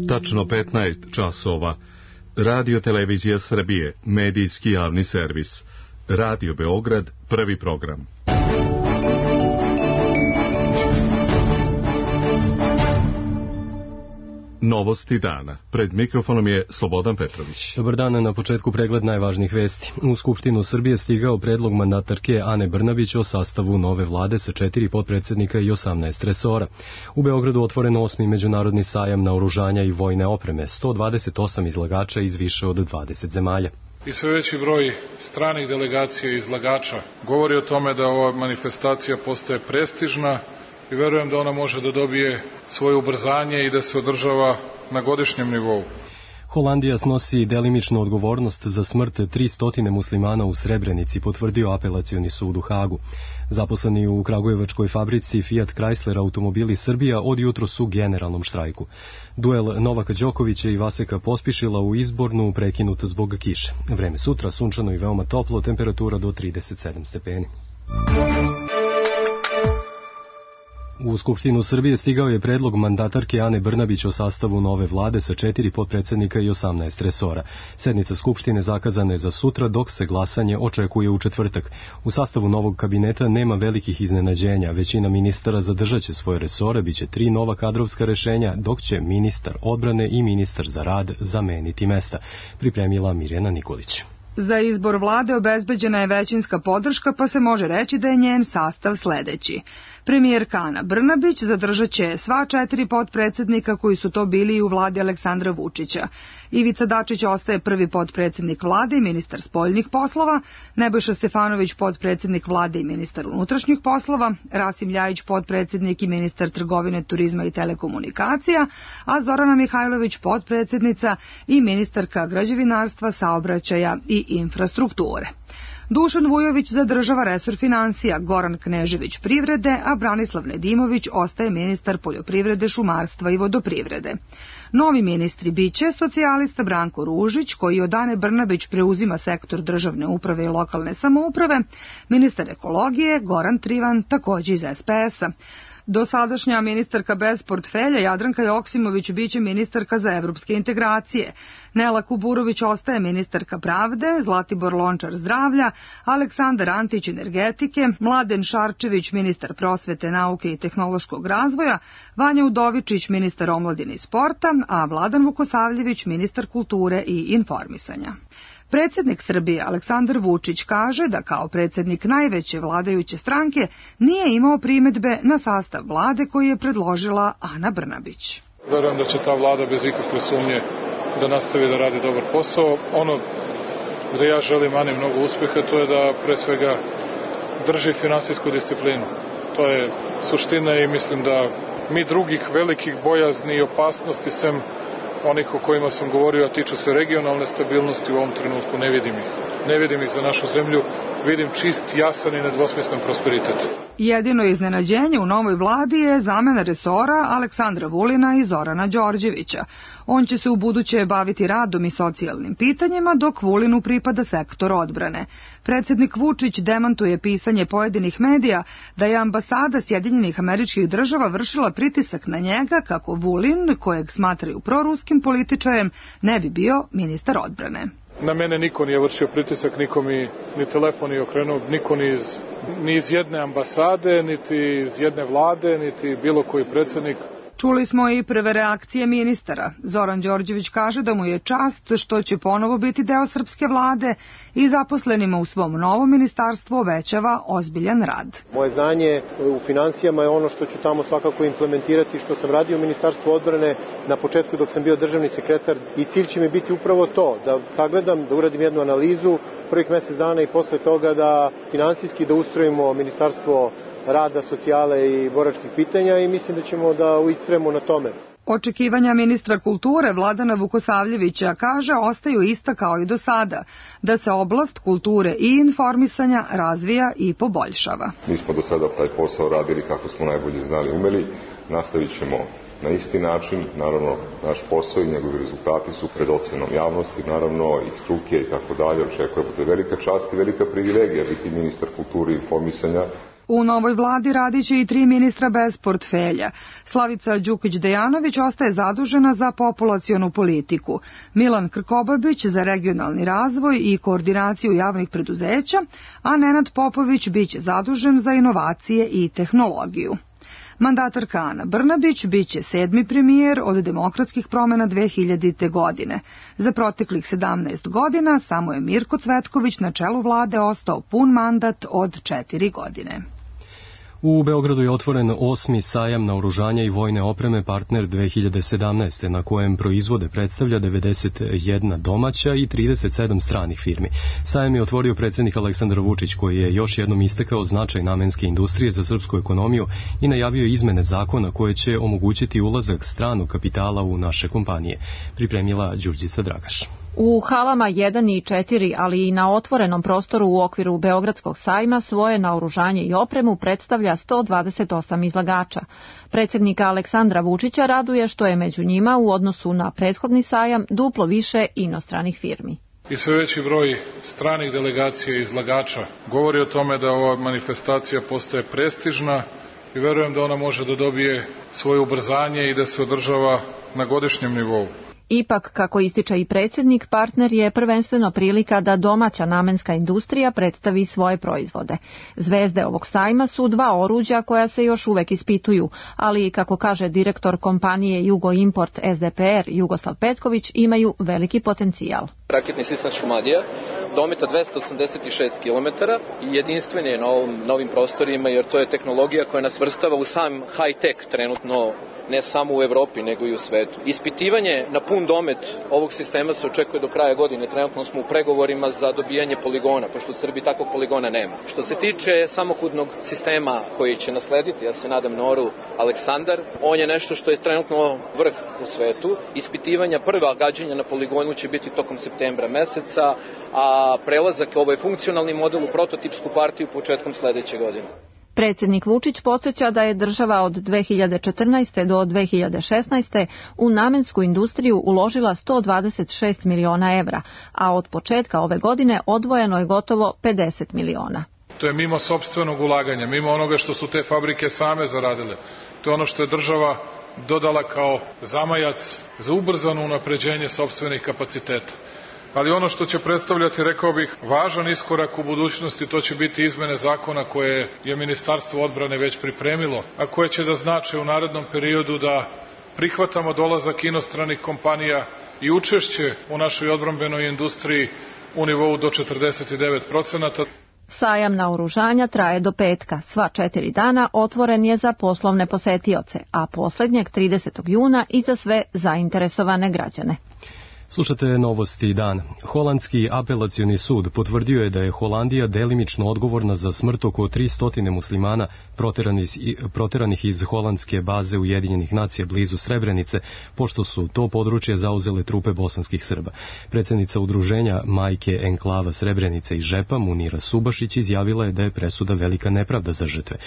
Tačno 15 časova. Radio Televizija Srbije, medijski javni servis. Radio Beograd, prvi program. Novosti dana. Pred mikrofonom je Slobodan Petrović. Dobar dan, na početku pregled najvažnijih vesti. U Skupštinu Srbije stigao predlog mandatarke Ane Brnabić o sastavu nove vlade sa 4 potpredsednika i 18 resora. U Beogradu otvoren 8. međunarodni sajam naoružanja i vojne opreme, 128 izlagača iz više od 20 zemalja. I sve veći broj stranih delegacija i izlagača govori o tome da ova manifestacija postaje prestižna i verujem da ona može da dobije svoje ubrzanje i da se održava na godišnjem nivou. Holandija snosi delimičnu odgovornost za smrt 300 muslimana u Srebrenici, potvrdio apelacioni sud u Hagu. Zaposleni u kragujevačkoj fabrici Fiat Chrysler automobili Srbija od jutro su u generalnom štrajku. Duel Novaka Đokovića i Vaseka Pospišila u Izbornu prekinut zbog kiše. Vreme sutra sunčano i veoma toplo, temperatura do 37 stepeni. U Skupštinu Srbije stigao je predlog mandatarke Ane Brnabić o sastavu nove vlade sa 4 potpredsednika i 18 resora. Sednica Skupštine zakazana je za sutra, dok se glasanje očekuje u četvrtak. U sastavu novog kabineta nema velikih iznenađenja. Većina ministara zadržaće svoje resore, biće 3 nova kadrovska rešenja, dok će ministar odbrane i ministar za rad zameniti mesta, pripremila Mirjana Nikolić. Za izbor vlade obezbeđena je većinska podrška, pa se može reći da je njen sastav sledeći. Premijerka Ana Brnabić zadržat će sva 4 potpredsednika koji su to bili i u vladi Aleksandra Vučića. Ivica Dačić ostaje prvi potpredsednik vlade i ministar spoljnih poslova, Nebojša Stefanović potpredsednik vlade i ministar unutrašnjih poslova, Rasim Ljajić potpredsednik i ministar trgovine, turizma i telekomunikacija, a Zorana Mihajlović potpredsednica i ministarka građevinarstva, saobraćaja i infrastrukture. Dušan Vujović zadržava resor finansija, Goran Knežević privrede, a Branislav Nedimović ostaje ministar poljoprivrede, šumarstva i vodoprivrede. Novi ministri biće socijalista Branko Ružić, koji od Ane Brnabić preuzima sektor državne uprave i lokalne samouprave, ministar ekologije Goran Trivan, takođe iz SPS-a. Dosadašnja ministarka bez portfelja Jadranka Joksimović biće ministarka za evropske integracije. Nela Kuburović ostaje ministarka pravde, Zlatibor Lončar zdravlja, Aleksandar Antić energetike, Mladen Šarčević ministar prosvete, nauke i tehnološkog razvoja, Vanja Udovičić ministar omladine i sporta, a Vladan Vukosavljević ministar kulture i informisanja. Predsjednik Srbije Aleksandar Vučić kaže da kao predsjednik najveće vladajuće stranke nije imao primedbe na sastav vlade koji je predložila Ana Brnabić. Verujem da će ta vlada bez ikakve sumnje da nastavi da radi dobar posao. Ono gde ja želim Ani mnogo uspeha, to je da pre svega drži finansijsku disciplinu. To je suština i mislim da mi drugih velikih bojazni i opasnosti sem onih o kojima sam govorio, a tiču se regionalne stabilnosti, u ovom trenutku ne vidim ih. Ne vidim ih za našu zemlju, vidim čist, jasan i nedvosmislen prosperitet. Jedino iznenađenje u novoj vladi je zamena resora Aleksandra Vulina i Zorana Đorđevića. On će se u buduće baviti radom i socijalnim pitanjima, dok Vulinu pripada sektor odbrane. Predsjednik Vučić demantuje pisanje pojedinih medija da je ambasada Sjedinjenih Američkih Država vršila pritisak na njega kako Vulin, kojeg smatraju proruskim političarem, ne bi bio ministar odbrane. Na mene niko nije vršio pritisak, niko mi ni telefon nije okrenuo, niko ni iz jedne ambasade, niti iz jedne vlade, niti bilo koji predsjednik. Čuli smo i prve reakcije ministara. Zoran Đorđević kaže da mu je čast što će ponovo biti deo srpske vlade i zaposlenima u svom novom ministarstvu obećava ozbiljan rad. Moje znanje u finansijama je ono što ću tamo svakako implementirati, što sam radio u Ministarstvu odbrane na početku dok sam bio državni sekretar, i cilj će mi biti upravo to, da sagledam, da uradim jednu analizu prvih mjesec dana i posle toga da finansijski da ustrojimo Ministarstvo rada, socijale i boračkih pitanja, i mislim da ćemo da uistrajemo na tome. Očekivanja ministra kulture Vladana Vukosavljevića, kaže, ostaju ista kao i do sada, da se oblast kulture i informisanja razvija i poboljšava. Mi smo do sada taj posao radili kako smo najbolje znali i umeli, nastavit ćemo na isti način. Naravno, naš posao i njegovi rezultati su pred ocenom javnosti, naravno i struke i tako dalje. Očekujemo da je velika čast i velika privilegija biti ministar kulture i informisanja. U novoj vladi radiće i 3 ministra bez portfelja. Slavica Đukić-Dejanović ostaje zadužena za populacionu politiku, Milan Krkobabić za regionalni razvoj i koordinaciju javnih preduzeća, a Nenad Popović biće zadužen za inovacije i tehnologiju. Mandatarka Ana Brnabić biće 7. premijer od demokratskih promjena 2000. godine. Za proteklih 17 godina samo je Mirko Cvetković na čelu vlade ostao pun mandat od 4 godine. U Beogradu je otvoren 8. sajam naoružanja i vojne opreme Partner 2017. na kojem proizvode predstavlja 91 domaća i 37 stranih firmi. Sajam je otvorio predsjednik Aleksandar Vučić, koji je još jednom istakao značaj namenske industrije za srpsku ekonomiju i najavio izmene zakona koje će omogućiti ulazak stranog kapitala u naše kompanije. Pripremila Đurđica Dragaš. U halama 1 i 4, ali i na otvorenom prostoru u okviru Beogradskog sajma svoje naoružanje i opremu predstavlja 128 izlagača. Predsjednika Aleksandra Vučića raduje što je među njima u odnosu na prethodni sajam duplo više inostranih firmi. I sve veći broj stranih delegacija i izlagača govori o tome da ova manifestacija postaje prestižna i verujem da ona može da dobije svoje ubrzanje i da se održava na godišnjem nivou. Ipak, kako ističe i predsjednik, Partner je prvenstveno prilika da domaća namenska industrija predstavi svoje proizvode. Zvezde ovog sajma su 2 oruđa koja se još uvek ispituju, ali, kako kaže direktor kompanije Jugo Import SDPR Jugoslav Petković, imaju veliki potencijal. Raketni sistem Šumadija dometa 286 km i jedinstven je na novim prostorima, jer to je tehnologija koja nas vrstava u sam high-tech trenutno, ne samo u Evropi nego i u svetu. Ispitivanje na pun domet ovog sistema se očekuje do kraja godine. Trenutno smo u pregovorima za dobijanje poligona, pošto u Srbiji takvog poligona nema. Što se tiče samohodnog sistema koji će naslediti, ja se nadam, Noru Aleksandar, on je nešto što je trenutno vrh u svetu. Ispitivanja prva gađanja na poligonu će biti tokom septembra meseca, a prelazak ovaj funkcionalni model u prototipsku partiju početkom sledeće godine. Predsjednik Vučić podsjeća da je država od 2014. do 2016. u namensku industriju uložila 126 miliona evra, a od početka ove godine odvojeno je gotovo 50 miliona. To je mimo sopstvenog ulaganja, mimo onoga što su te fabrike same zaradile. To je ono što je država dodala kao zamajac za ubrzano unapređenje sopstvenih kapaciteta. Ali ono što će predstavljati, rekao bih, važan iskorak u budućnosti, to će biti izmene zakona koje je Ministarstvo odbrane već pripremilo, a koje će da znače u narednom periodu da prihvatamo dolazak inostranih kompanija i učešće u našoj odbrambenoj industriji u nivou do 49%. Sajam naoružanja traje do petka. Sva 4 dana otvoren je za poslovne posetioce, a posljednjeg 30. juna i za sve zainteresovane građane. Slušate Novosti dan. Holandski apelacioni sud potvrdio je da je Holandija delimično odgovorna za smrt oko 300 muslimana proteranih iz holandske baze Ujedinjenih nacija blizu Srebrenice, pošto su to područje zauzele trupe bosanskih Srba. Predsjednica udruženja Majke Enklava Srebrenice i Žepa, Munira Subašić, izjavila je da je presuda velika nepravda za žrtve.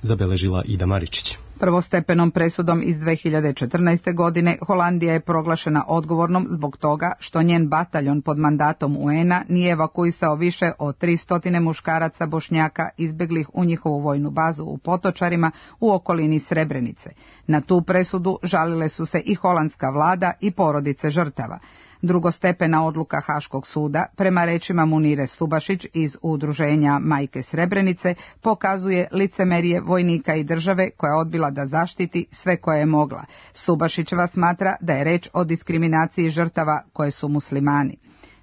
Zabeležila Ida Maričić. Prvostepenom presudom iz 2014. godine Holandija je proglašena odgovornom zbog toga što njen bataljon pod mandatom UN-a nije evakuisao više od 300 muškaraca Bošnjaka izbeglih u njihovu vojnu bazu u Potočarima u okolini Srebrenice. Na tu presudu žalile su se i holandska vlada i porodice žrtava. Drugostepena odluka Haškog suda, prema rečima Munire Subašić iz udruženja Majke Srebrenice, pokazuje licemerje vojnika i države koja je odbila da zaštiti sve koje je mogla. Subašićeva smatra da je reč o diskriminaciji žrtava koje su muslimani.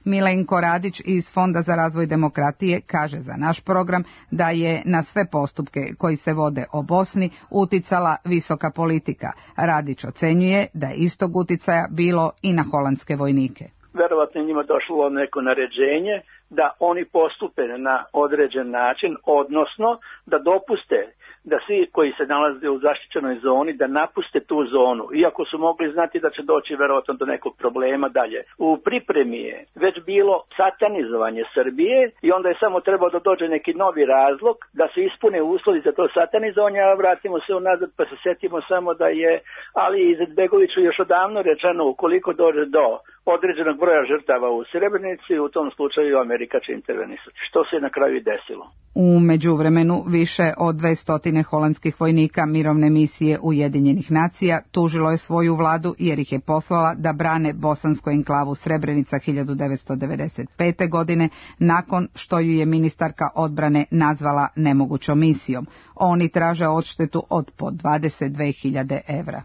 Milenko Radić iz Fonda za razvoj demokratije kaže za naš program da je na sve postupke koji se vode o Bosni uticala visoka politika. Radić ocenjuje da je istog uticaja bilo i na holandske vojnike. Verovatno je njima došlo neko naređenje da oni postupe na određen način, odnosno da dopuste da svi koji se nalaze u zaštićenoj zoni da napuste tu zonu, iako su mogli znati da će doći verovatno do nekog problema dalje. U pripremi je već bilo satanizovanje Srbije i onda je samo trebao da dođe neki novi razlog da se ispune uslovi za to satanizovanje, a vratimo se unazad pa se setimo samo da je Ali Izetbegoviću još odavno rečeno ukoliko dođe do određenog broja žrtava u Srebrenici i u tom slučaju Amerika će intervenisati, što se na kraju i desilo. U međuvremenu više od 200 holandskih vojnika mirovne misije Ujedinjenih nacija tužilo je svoju vladu jer ih je poslala da brane bosansku enklavu Srebrenica 1995. godine nakon što ju je ministarka odbrane nazvala nemogućom misijom. Oni traže odštetu od po 22.000 evra.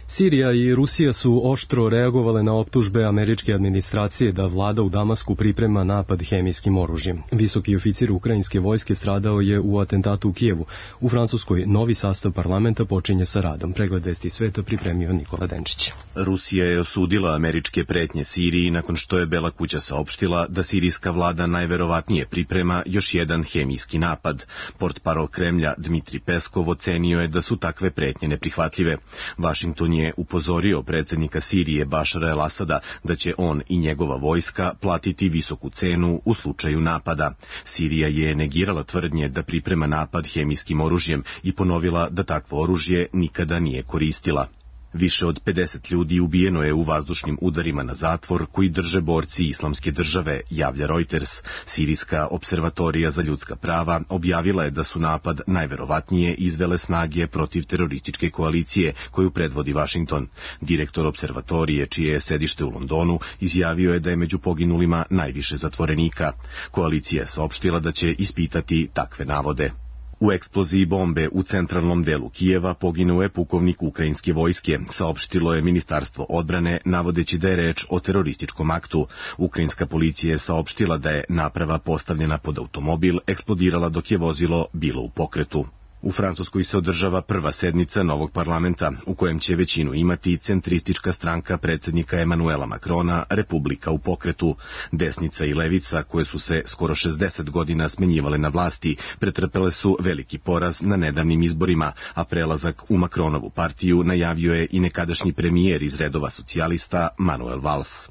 Sirija i Rusija su oštro reagovale na optužbe američke administracije da vlada u Damasku priprema napad hemijskim oružjem. Visoki oficir ukrajinske vojske stradao je u atentatu u Kijevu. U Francuskoj novi sastav parlamenta počinje sa radom. Pregled vesti sveta pripremio Nikola Denčić. Rusija je osudila američke pretnje Siriji nakon što je Bela kuća saopštila da sirijska vlada najverovatnije priprema još jedan hemijski napad. Portparol Kremlja Dmitri Peskov ocenio je da su takve pretnje neprihvatljive. Washington je upozorio predsjednika Sirije Bašara el-Asada da će on i njegova vojska platiti visoku cenu u slučaju napada. Sirija je negirala tvrdnje da priprema napad hemijskim oružjem i ponovila da takvo oružje nikada nije koristila. Više od 50 ljudi ubijeno je u vazdušnim udarima na zatvor koji drže borci Islamske države, javlja Reuters. Sirijska observatorija za ljudska prava objavila je da su napad najverovatnije izvele snage protiv terorističke koalicije koju predvodi Washington. Direktor observatorije, čije je sedište u Londonu, izjavio je da je među poginulima najviše zatvorenika. Koalicija je saopštila da će ispitati takve navode. U eksploziji bombe u centralnom delu Kijeva poginuo je pukovnik ukrajinske vojske, saopštilo je Ministarstvo odbrane, navodeći da je reč o terorističkom aktu. Ukrajinska policija je saopštila da je naprava postavljena pod automobil eksplodirala dok je vozilo bilo u pokretu. U Francuskoj se održava prva sednica novog parlamenta, u kojem će većinu imati centristička stranka predsjednika Emanuela Macrona, Republika u pokretu. Desnica i levica, koje su se skoro 60 godina smenjivale na vlasti, pretrpele su veliki poraz na nedavnim izborima, a prelazak u Macronovu partiju najavio je i nekadašnji premijer iz redova socijalista Manuel Valls.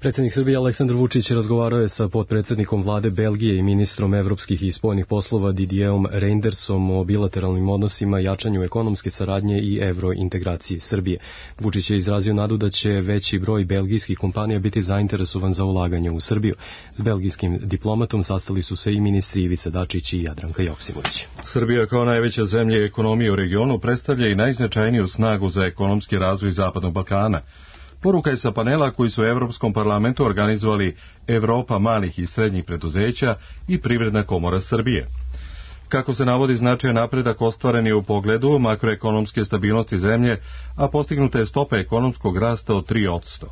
Predsjednik Srbije Aleksandar Vučić razgovarao je sa potpredsjednikom vlade Belgije i ministrom evropskih i spoljnih poslova Didierom Reindersom o bilateralnim odnosima, jačanju ekonomske saradnje i evrointegraciji Srbije. Vučić je izrazio nadu da će veći broj belgijskih kompanija biti zainteresovan za ulaganje u Srbiju. S belgijskim diplomatom sastali su se i ministri Ivica Dačić i Jadranka Joksimović. Srbija kao najveća zemlja ekonomije u regionu predstavlja i najznačajniju snagu za ekonomski razvoj Zapadnog Balkana. Poruka je sa panela koji su u Evropskom parlamentu organizovali Evropa malih i srednjih preduzeća i Privredna komora Srbije. Kako se navodi, značajan napredak ostvaren je u pogledu makroekonomske stabilnosti zemlje, a postignuta je stopa ekonomskog rasta od 3%.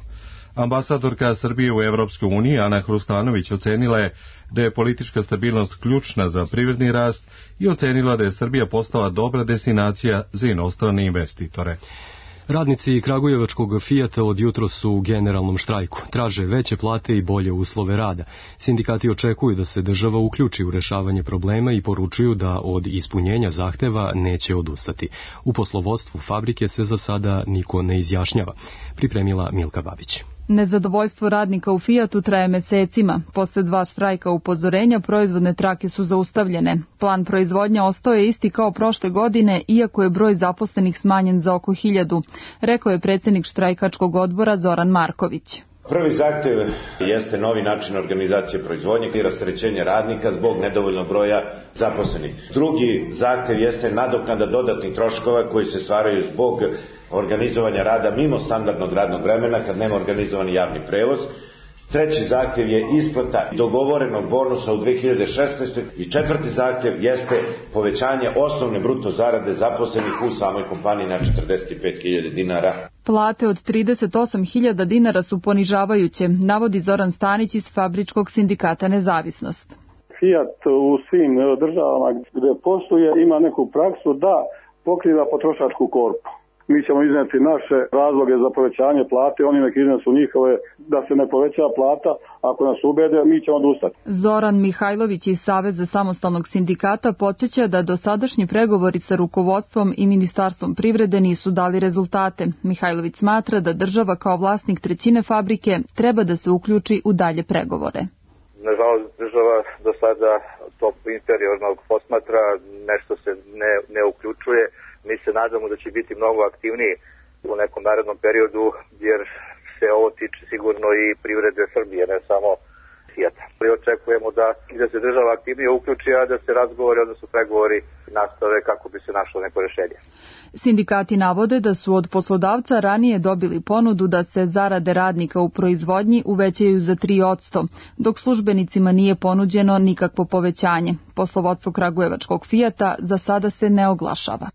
Ambasadorka Srbije u Evropskoj uniji Ana Hrustanović ocenila je da je politička stabilnost ključna za privredni rast i ocenila da je Srbija postala dobra destinacija za inostrane investitore. Radnici kragujevačkog Fijata od jutros su u generalnom štrajku. Traže veće plate i bolje uslove rada. Sindikati očekuju da se država uključi u rešavanje problema i poručuju da od ispunjenja zahteva neće odustati. U poslovodstvu fabrike se za sada niko ne izjašnjava. Pripremila Milka Babić. Nezadovoljstvo radnika u Fijatu traje mesecima. Posle 2 štrajka upozorenja proizvodne trake su zaustavljene. Plan proizvodnja ostao je isti kao prošle godine, iako je broj zaposlenih smanjen za oko 1000, rekao je predsjednik štrajkačkog odbora Zoran Marković. Prvi zahtev jeste novi način organizacije proizvodnje i rasterećenje radnika zbog nedovoljnog broja zaposlenih. Drugi zahtev jeste nadoknada dodatnih troškova koji se stvaraju zbog organizovanja rada mimo standardnog radnog vremena kad nema organizovani javni prevoz. Treći zahtjev je isplata dogovorenog bonusa u 2016. I četvrti zahtjev jeste povećanje osnovne bruto zarade zaposlenih u samoj kompaniji na 45.000 dinara. Plate od 38.000 dinara su ponižavajuće, navodi Zoran Stanić iz Fabričkog sindikata Nezavisnost. Fiat u svim državama gdje posluje ima neku praksu da pokriva potrošačku korpu. Mi ćemo izneti naše razloge za povećanje plate, oni nek iznesu njihove da se ne poveća plata, ako nas ubede, mi ćemo odustati. Zoran Mihajlović iz Saveza samostalnog sindikata podsjeća da dosadašnji pregovori sa rukovodstvom i Ministarstvom privrede nisu dali rezultate. Mihajlović smatra da država kao vlasnik trećine fabrike treba da se uključi u dalje pregovore. Nažalost, država do sada to inferiorno posmatra, nešto se ne uključuje. Mi se nadamo da će biti mnogo aktivniji u nekom narednom periodu, jer se ovo tiče sigurno i privrede Srbije, ne samo Fijata. Očekujemo da se država aktivnije uključi, a da se razgovori, odnosno pregovori nastave kako bi se našlo neko rešenje. Sindikati navode da su od poslodavca ranije dobili ponudu da se zarade radnika u proizvodnji uvećaju za 3%, dok službenicima nije ponuđeno nikakvo povećanje. Poslovodstvo kragujevačkog Fijata za sada se ne oglašava.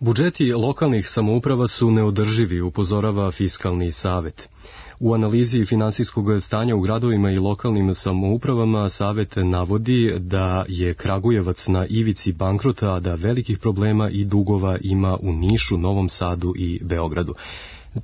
Budžeti lokalnih samouprava su neodrživi, upozorava Fiskalni savet. U analizi finansijskog stanja u gradovima i lokalnim samoupravama savet navodi da je Kragujevac na ivici bankrota, a da velikih problema i dugova ima u Nišu, Novom Sadu i Beogradu.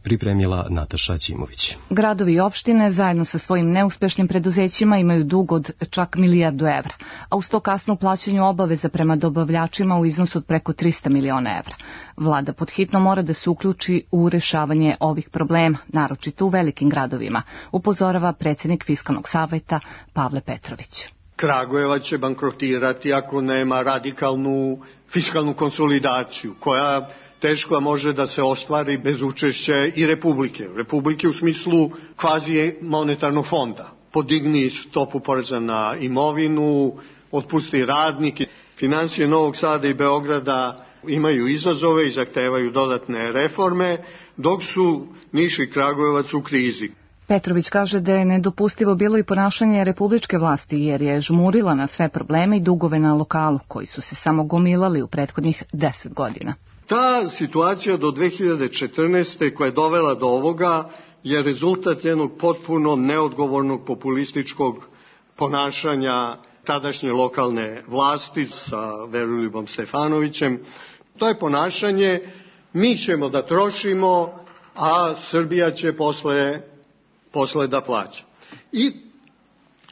Pripremila Nataša Ćimović. Gradovi i opštine zajedno sa svojim neuspešnim preduzećima imaju dug od čak 1 milijardu evra, a uz to kasno plaćanju obaveza prema dobavljačima u iznosu od preko 300 miliona evra. Vlada podhitno mora da se uključi u rešavanje ovih problema, naročito u velikim gradovima, upozorava predsjednik Fiskalnog saveta Pavle Petrović. Kragujevac će bankrotirati ako nema radikalnu fiskalnu konsolidaciju, koja teško može da se ostvari bez učešća i Republike. Republike u smislu kvazi monetarnog fonda. Podigni stopu poreza na imovinu, otpusti radnike. Finansije Novog Sada i Beograda imaju izazove i zahtevaju dodatne reforme, dok su Niš i Kragujevac u krizi. Petrović kaže da je nedopustivo bilo i ponašanje republičke vlasti, jer je žmurila na sve probleme i dugove na lokalu, koji su se samo gomilali u prethodnih 10 godina. Ta situacija do 2014. koja je dovela do ovoga je rezultat jednog potpuno neodgovornog populističkog ponašanja tadašnje lokalne vlasti sa Veroljubom Stefanovićem. To je ponašanje, mi ćemo da trošimo, a Srbija će posle da plaća. I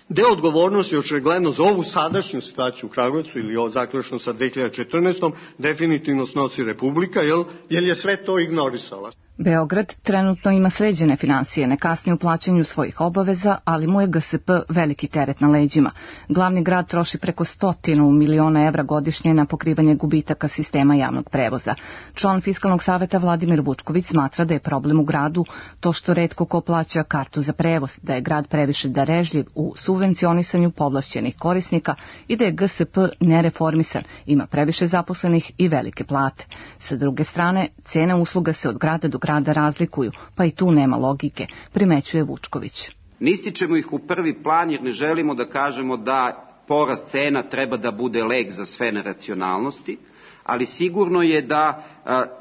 deo odgovornosti očigledno za ovu sadašnju situaciju u Kragujevcu ili ovo zaključno sa 2014. definitivno snosi Republika, jer je sve to ignorisala. Beograd trenutno ima sređene finansije, ne kasni u plaćanju svojih obaveza, ali mu je GSP veliki teret na leđima. Glavni grad troši preko 100 miliona evra godišnje na pokrivanje gubitaka sistema javnog prevoza. Član Fiskalnog saveta Vladimir Vučković smatra da je problem u gradu to što retko ko plaća kartu za prevoz, da je grad previše darežljiv u subvencionisanju povlašćenih korisnika i da je GSP nereformisan, ima previše zaposlenih i velike plate. Sa druge strane, cene usluga se od grada do grada razlikuju, pa i tu nema logike, primećuje Vučković. Ne ističemo ih u prvi plan jer ne želimo da kažemo da porast cena treba da bude lek za sve neracionalnosti, ali sigurno je da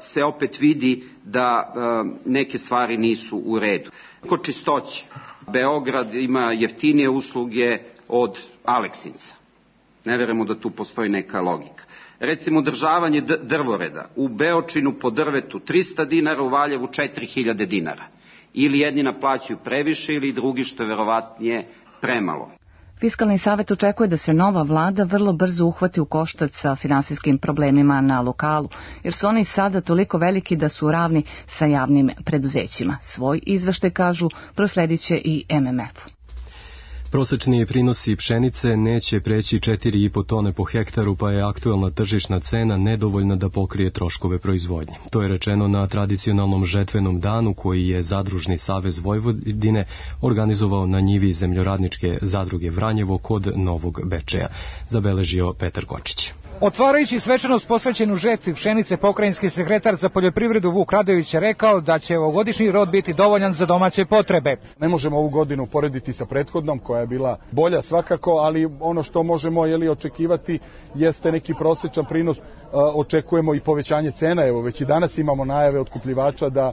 se opet vidi da neke stvari nisu u redu. Kod čistoće, Beograd ima jeftinije usluge od Aleksinca. Ne verujemo da tu postoji neka logika. Recimo održavanje drvoreda, u Beočinu po drvetu 300 dinara, u Valjevu 4000 dinara. Ili jedni naplaćuju previše ili drugi, što je verovatnije premalo. Fiskalni savet očekuje da se nova vlada vrlo brzo uhvati u koštac sa finansijskim problemima na lokalu, jer su oni sada toliko veliki da su ravni sa javnim preduzećima. Svoj izveštaj, kažu, prosledit će i MMF-u. Prosečni prinosi pšenice neće preći 4,5 tone po hektaru, pa je aktuelna tržišna cena nedovoljna da pokrije troškove proizvodnje. To je rečeno na tradicionalnom žetvenom danu koji je Zadružni savez Vojvodine organizovao na njivi Zemljoradničke zadruge Vranjevo kod Novog Bečeja, zabeležio Petar Kočić. Otvarajući svečanost posvećenu žetvi pšenice, pokrajinski sekretar za poljoprivredu Vuk Radović je rekao da će ovogodišnji rod biti dovoljan za domaće potrebe. Ne možemo ovu godinu porediti sa prethodnom koja je bila bolja svakako, ali ono što možemo očekivati jeste neki prosječan prinos. Očekujemo i povećanje cena, evo već i danas imamo najave otkupljivača da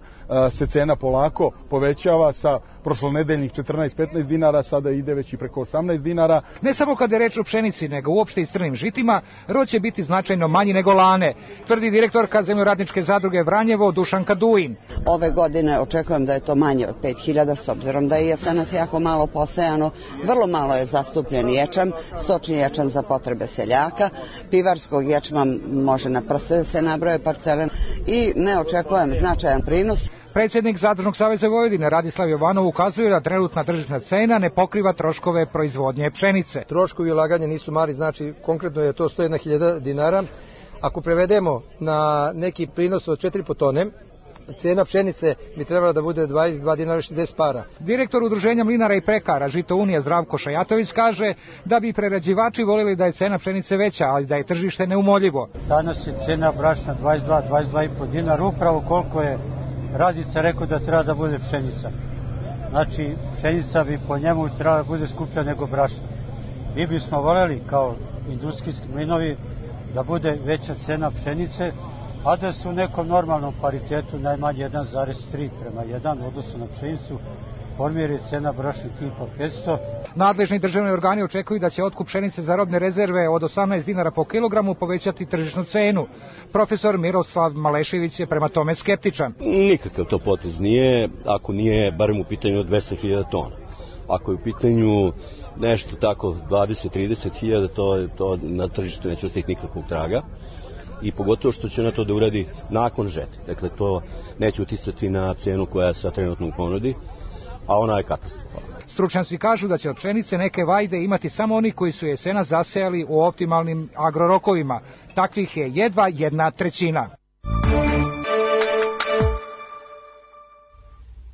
se cena polako povećava sa prošlonedeljnih 14-15 dinara, sada ide već i preko 18 dinara. Ne samo kada je reč o pšenici, nego uopšte i strnim žitima, rod će biti značajno manji nego lane, tvrdi direktorka Zemljoradničke zadruge Vranjevo Dušanka Duin. Ove godine očekujem da je to manje od 5000, s obzirom da je jesenas jako malo posejano, vrlo malo je zastupljen ječam, stočni ječam za potrebe seljaka, pivarskog ječma može na prste da se nabroje parcele i ne očekujem značajan prinos. Predsjednik Zadružnog saveza Vojvodine Radislav Jovanov ukazuje da trenutna tržišna cena ne pokriva troškove proizvodnje pšenice. Troškovi ulaganja nisu mali, znači konkretno je to 101.000 dinara. Ako prevedemo na neki prinos od 4,5 tone, cena pšenice bi trebala da bude 22 dinara 60 para. Direktor Udruženja mlinara i pekara Žito Unija Zdravko Šajatović kaže da bi prerađivači voljeli da je cena pšenice veća, ali da je tržište neumoljivo. Danas je cena brašna 22,5 dinara, upravo koliko je Radica rekao da treba da bude pšenica. Znači, pšenica bi po njemu trebala da bude skuplja nego brašna. Mi bismo voljeli kao industrijski mlinovi da bude veća cena pšenice, a da se u nekom normalnom paritetu najmanje 1,3 prema 1 odnosno na pšenicu formira cena brašna tipa 500. Nadležni državni organi očekuju da će otkup pšenice za robne rezerve od 18 dinara po kilogramu povećati tržišnu cenu. Profesor Miroslav Malešević je prema tome skeptičan. Nikakav to potez nije, ako nije barem u pitanju od 200.000 tona. Ako je u pitanju nešto tako 20-30.000, to na tržištu neće ostati nikakvog traga. I pogotovo što će na to da uradi nakon žetve. Dakle, to neće uticati na cenu koja se trenutno u ponudi, a ona je katastrofalna. Stručnjaci kažu da će od pšenice neke vajde imati samo oni koji su jesena zasejali u optimalnim agrorokovima. Takvih je jedva 1/3.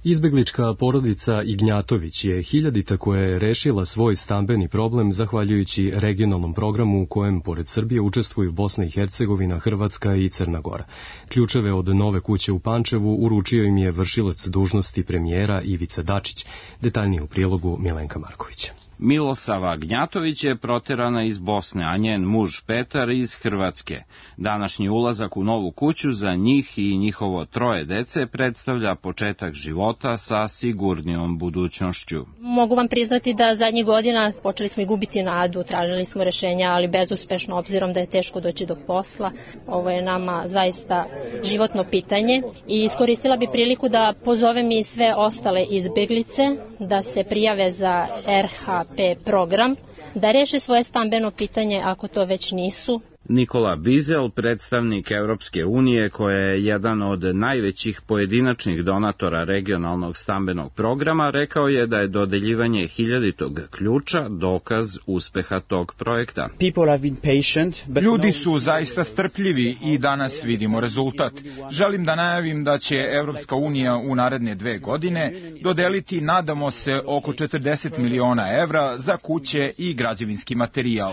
Izbeglička porodica Ignjatović je hiljadita koja je rešila svoj stambeni problem zahvaljujući regionalnom programu u kojem pored Srbije učestvuju Bosna i Hercegovina, Hrvatska i Crna Gora. Ključeve od nove kuće u Pančevu uručio im je vršilac dužnosti premijera Ivica Dačić. Detaljnije u prilogu Milenka Markovića. Milosava Gnjatović je proterana iz Bosne, a njen muž Petar iz Hrvatske. Današnji ulazak u novu kuću za njih i njihovo 3 dece predstavlja početak života sa sigurnijom budućnošću. Mogu vam priznati da zadnjih godina počeli smo i gubiti nadu, tražili smo rešenja, ali bezuspešno obzirom da je teško doći do posla. Ovo je nama zaista životno pitanje i iskoristila bi priliku da pozovem i sve ostale izbeglice da se prijave za RHP program, da reše svoje stambeno pitanje ako to već nisu. Nikola Bizel, predstavnik Evropske unije, koja je jedan od najvećih pojedinačnih donatora regionalnog stambenog programa, rekao je da je dodeljivanje 1000. ključa dokaz uspeha tog projekta. Ljudi su zaista strpljivi i danas vidimo rezultat. Želim da najavim da će Evropska unija u naredne 2 godine dodeliti, nadamo se, oko 40 miliona evra za kuće i građevinski materijal.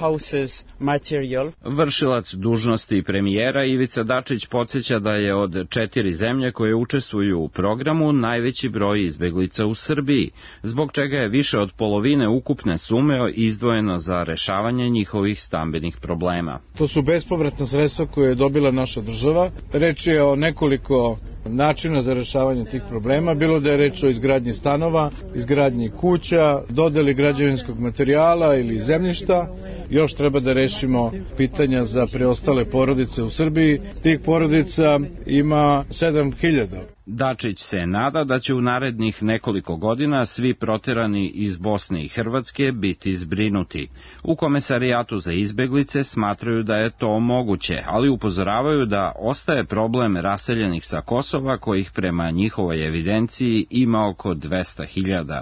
Vršilac dužnosti premijera Ivica Dačić podsjeća da je od 4 zemlje koje učestvuju u programu najveći broj izbeglica u Srbiji, zbog čega je više od polovine ukupne sume izdvojeno za rešavanje njihovih stambenih problema. To su bespovratna sredstva koje je dobila naša država. Reč je o nekoliko načina za rešavanje tih problema, bilo da je reč o izgradnji stanova, izgradnji kuća, dodeli građevinskog materijala ili zemljišta. Još treba da rešimo pitanja za preostale porodice u Srbiji. Tih porodica ima 7000. Dačić se nada da će u narednih nekoliko godina svi proterani iz Bosne i Hrvatske biti zbrinuti. U Komesarijatu za izbeglice smatraju da je to moguće, ali upozoravaju da ostaje problem raseljenih sa Kosova, kojih prema njihovoj evidenciji ima oko 200.000.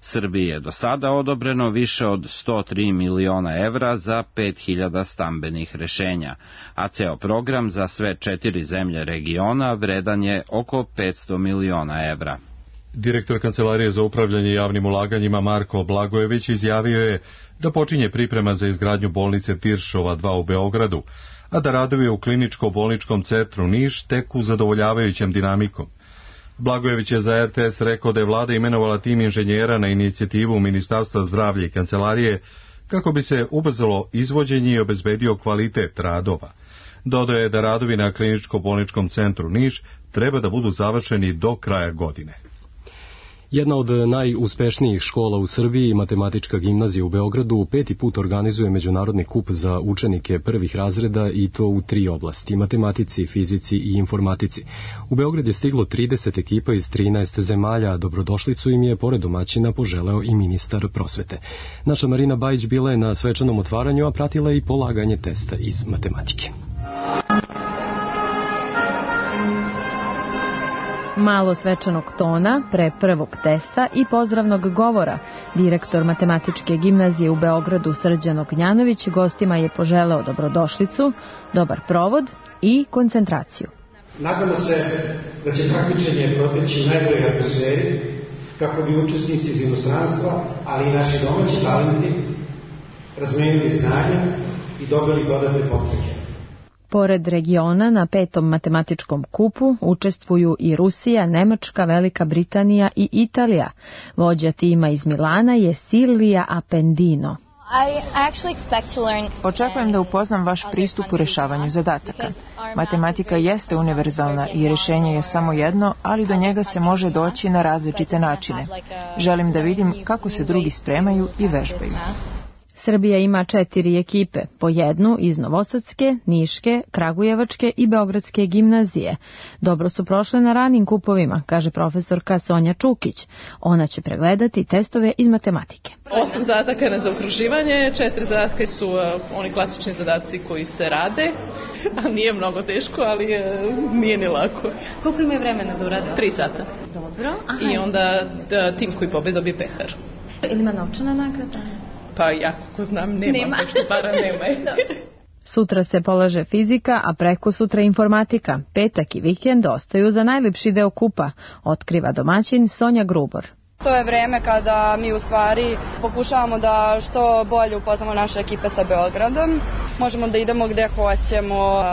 Srbiji je do sada odobreno više od 103 miliona evra za 5000 stambenih rešenja, a ceo program za sve 4 zemlje regiona vredan je oko 500 miliona evra. Direktor Kancelarije za upravljanje javnim ulaganjima Marko Blagojević izjavio je da počinje priprema za izgradnju bolnice Tiršova 2 u Beogradu, a da radovi u kliničko-bolničkom centru Niš teku zadovoljavajućom dinamikom. Blagojević je za RTS rekao da je vlada imenovala tim inženjera na inicijativu Ministarstva zdravlja i kancelarije kako bi se ubrzalo izvođenje i obezbedio kvalitet radova. Dodao je da radovi na kliničko-bolničkom centru Niš treba da budu završeni do kraja godine. Jedna od najuspešnijih škola u Srbiji, Matematička gimnazija u Beogradu, 5. put organizuje međunarodni kup za učenike prvih razreda i to u 3 oblasti, matematici, fizici i informatici. U Beograd je stiglo 30 ekipa iz 13 zemalja, a dobrodošlicu im je pored domaćina poželeo i ministar prosvete. Naša Marina Bajić bila je na svečanom otvaranju, a pratila je i polaganje testa iz matematike. Malo svečanog tona pre prvog testa i pozdravnog govora. Direktor Matematičke gimnazije u Beogradu Srđan Ognjanović gostima je poželeo dobrodošlicu, dobar provod i koncentraciju. Nadamo se da će takmičenje proteći u najboljoj atmosferi, kako bi učesnici iz inostranstva, ali i naši domaći talenti razmenili znanja i dobili dodatne potreke. Pored regiona na 5. matematičkom kupu učestvuju i Rusija, Nemačka, Velika Britanija i Italija. Vođa tima iz Milana je Silvija Appendino. Očekujem da upoznam vaš pristup u rešavanju zadataka. Matematika jeste univerzalna i rješenje je samo jedno, ali do njega se može doći na različite načine. Želim da vidim kako se drugi spremaju i vežbaju. Srbija ima 4 ekipe, po jednu iz Novosadske, Niške, Kragujevačke i Beogradske gimnazije. Dobro su prošle na ranim kupovima, kaže profesorka Sonja Čukić. Ona će pregledati testove iz matematike. 8 zadataka na zaokruživanje, 4 zadatka su oni klasični zadaci koji se rade. Nije mnogo teško, ali nije ni lako. Koliko ima vremena da urade? 3 sata. Dobro. Aha. I onda tim koji pobedi dobije pehar. Ili ima novčana nagrada? Pa ja kako znam nema. Pošto para nema. Sutra se polaže fizika, a preko sutra informatika. Petak i vikend ostaju za najlepši deo kupa, otkriva domaćin Sonja Grubor. To je vreme kada mi u stvari pokušavamo da što bolje upoznamo naše ekipe sa Beogradom. Možemo da idemo gde hoćemo,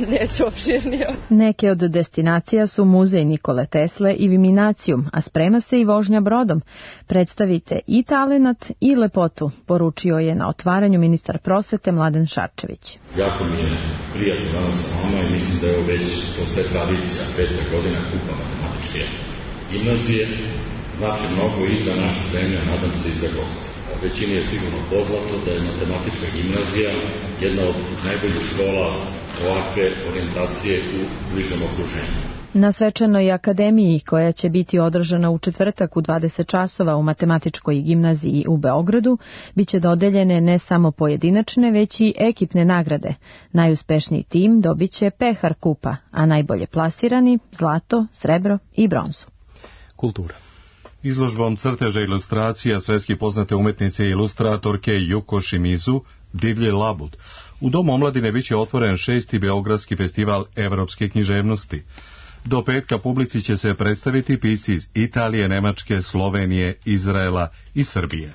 neću opširnije. Neke od destinacija su muzej Nikole Tesle i Viminacijum, a sprema se i vožnja brodom. Predstavite i talenat i lepotu, poručio je na otvaranju ministar prosvete Mladen Šarčević. Jako mi je prijatno danas sa vama i mislim da je ovo već postaje tradicija, 5. godina kupa matematičke gimnazije. Znači mnogo i za našu zemlju, nadam se i za goste. Većini je sigurno poznato da je matematička gimnazija jedna od najboljih škola ovakve orijentacije u bližem okruženju. Na svečanoj akademiji, koja će biti održana u četvrtak u 20 časova u Matematičkoj gimnaziji u Beogradu, biće dodeljene ne samo pojedinačne, već i ekipne nagrade. Najuspešniji tim dobiće pehar kupa, a najbolje plasirani zlato, srebro i bronzu. Kultura. Izložbom crteža i ilustracija svetski poznate umetnice i ilustratorke Yuko Shimizu, Divlji labud, u Domu omladine biće otvoren 6. Beogradski festival evropske književnosti. Do petka publici će se predstaviti pisci iz Italije, Nemačke, Slovenije, Izraela i Srbije.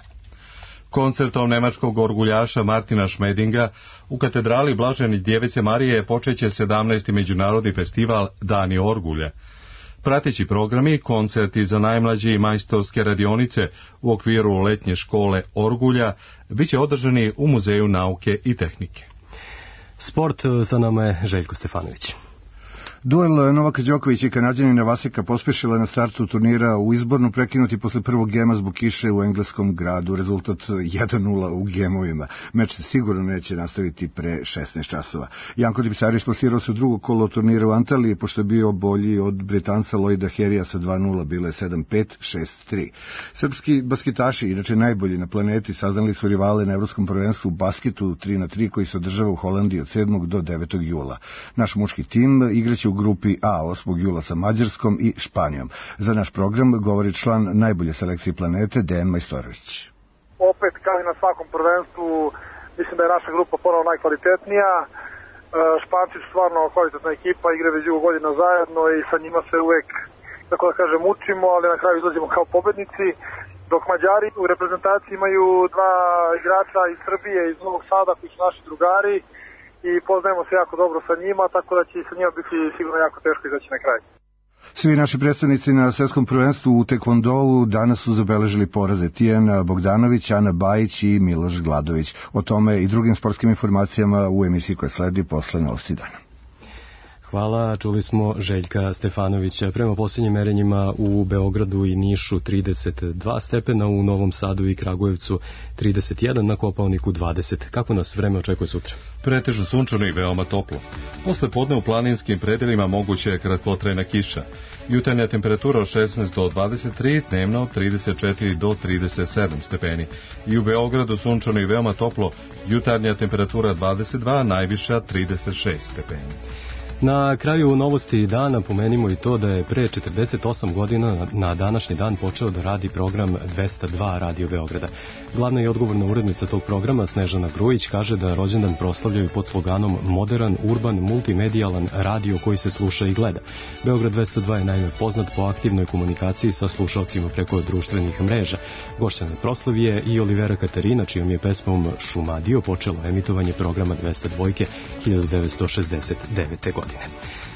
Koncertom nemačkog orguljaša Martina Šmedinga u katedrali Blažene Djevice Marije počeće 17. međunarodni festival Dani orgulja. Prateći programi, koncerti za najmlađe i majstorske radionice u okviru letnje škole Orgulja biće održani u Muzeju nauke i tehnike. Sport, sa nama je Željko Stefanović. Duel Novaka Đokovića i Kanađanina Vaseka pospešila na startu turnira u izbornu, prekinuti posle prvog gema zbog kiše u engleskom gradu. Rezultat 1-0 u gemovima. Meč se sigurno neće nastaviti pre 16 časova. Janko Dipisaris plasirao se u drugo kolo turnira u Antaliji, pošto je bio bolji od Britanca Lloyda Harrya sa 2-0, bilo je 7-5, 6-3. Srpski basketaši, inače najbolji na planeti, saznali su rivale na Evropskom prvenstvu u basketu 3x3 koji se održava u Holandiji od 7. do 9. jula. Naš muški tim igraće u grupi A 8. jula sa Mađarskom i Španijom. Za naš program govori član najbolje selekcije planete Dejan Majstorović. Opet, kao i na svakom prvenstvu, mislim da je naša grupa ponovno najkvalitetnija. Španci su stvarno kvalitetna ekipa, igraju već dugo godina zajedno i sa njima se uvek, tako da kažem, učimo, ali na kraju izlazimo kao pobednici. Dok Mađari u reprezentaciji imaju 2 igrača iz Srbije, iz Novog Sada, koji su naši drugari, i poznajemo se jako dobro sa njima, tako da će sa njima biti sigurno jako teško izaći na kraj. Svi naši predstavnici na svetskom prvenstvu u tekvondou danas su zabeležili poraze: Tijana Bogdanović, Ana Bajić i Miloš Gladović. O tome i drugim sportskim informacijama u emisiji koja sledi posle novosti dana. Hvala, čuli smo Željka Stefanovića. Prema posljednjim merenjima u Beogradu i Nišu 32 stepena, u Novom Sadu i Kragujevcu 31, na Kopaoniku 20. Kako nas vreme očekuje sutra? Pretežno sunčano i veoma toplo. Posle podne u planinskim predelima moguće je kratkotrajna kiša. Jutarnja temperatura od 16 do 23, dnevna od 34 do 37 stepeni. I u Beogradu sunčano i veoma toplo, jutarnja temperatura 22, najviša 36 stepeni. Na kraju novosti dana pomenimo i to da je pre 48 godina na današnji dan počeo da radi program 202 Radio Beograda. Glavna i odgovorna urednica tog programa, Snežana Grujić, kaže da rođendan proslavljaju pod sloganom moderan, urban, multimedijalan radio koji se sluša i gleda. Beograd 202 je naime poznat po aktivnoj komunikaciji sa slušalcima preko društvenih mreža. Gošća na proslavi je i Olivera Katarina, čijom je pesmom Šumadio počelo emitovanje programa 202 1969. godine.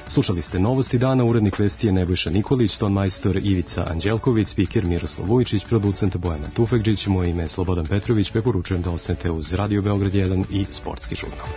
Slušali ste novosti dana, urednik vesti je Nebojša Nikolić, ton majstor Ivica Anđelković, spiker Miroslav Vujičić, producent Bojana Tufekđić, moje ime je Slobodan Petrović, preporučujem da ostanete uz Radio Beograd 1 i Sportski žurnal.